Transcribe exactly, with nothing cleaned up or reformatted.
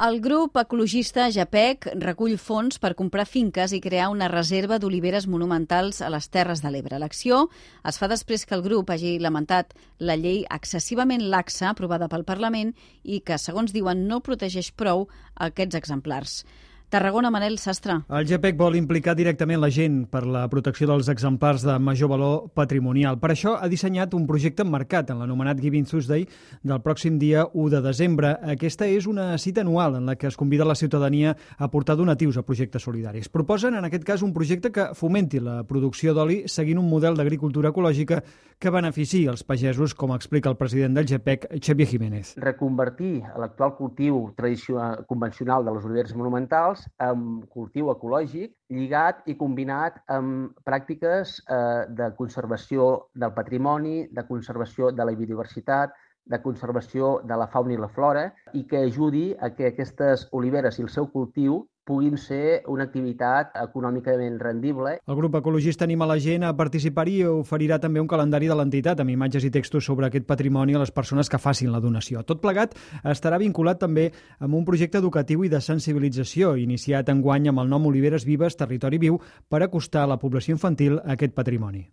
El grup ecologista Japec recull fons per comprar finques i crear una reserva d'oliveres monumentals a les Terres de l'Ebre. L'acció es fa després que el grup hagi lamentat la llei excessivament laxa aprovada pel Parlament i que, segons diuen, no protegeix prou aquests exemplars. Tarragona, Manel Sastre. El Japec vol implicar directament la gent per la protecció dels exemplars de major valor patrimonial. Per això ha dissenyat un projecte emmarcat en l'anomenat Giving Tuesday del pròxim dia u de desembre. Aquesta és una cita anual en la que es convida la ciutadania a portar donatius a projectes solidaris. Proposen, en aquest cas, un projecte que fomenti la producció d'oli seguint un model d'agricultura ecològica que beneficiï els pagesos, com explica el president del Japec, Xavier Jiménez. Reconvertir l'actual cultiu tradicional convencional de les oliveres monumentals amb cultiu ecològic lligat i combinat amb pràctiques eh, de conservació del patrimoni, de conservació de la biodiversitat, de conservació de la fauna i la flora i que ajudi a que aquestes oliveres i el seu cultiu puguin ser una activitat econòmicament rendible. El grup ecologista anima la gent a participar-hi i oferirà també un calendari de l'entitat amb imatges i textos sobre aquest patrimoni a les persones que facin la donació. Tot plegat estarà vinculat també amb un projecte educatiu i de sensibilització iniciat enguany amb el nom Oliveres Vives, Territori Viu, per acostar a la població infantil a aquest patrimoni.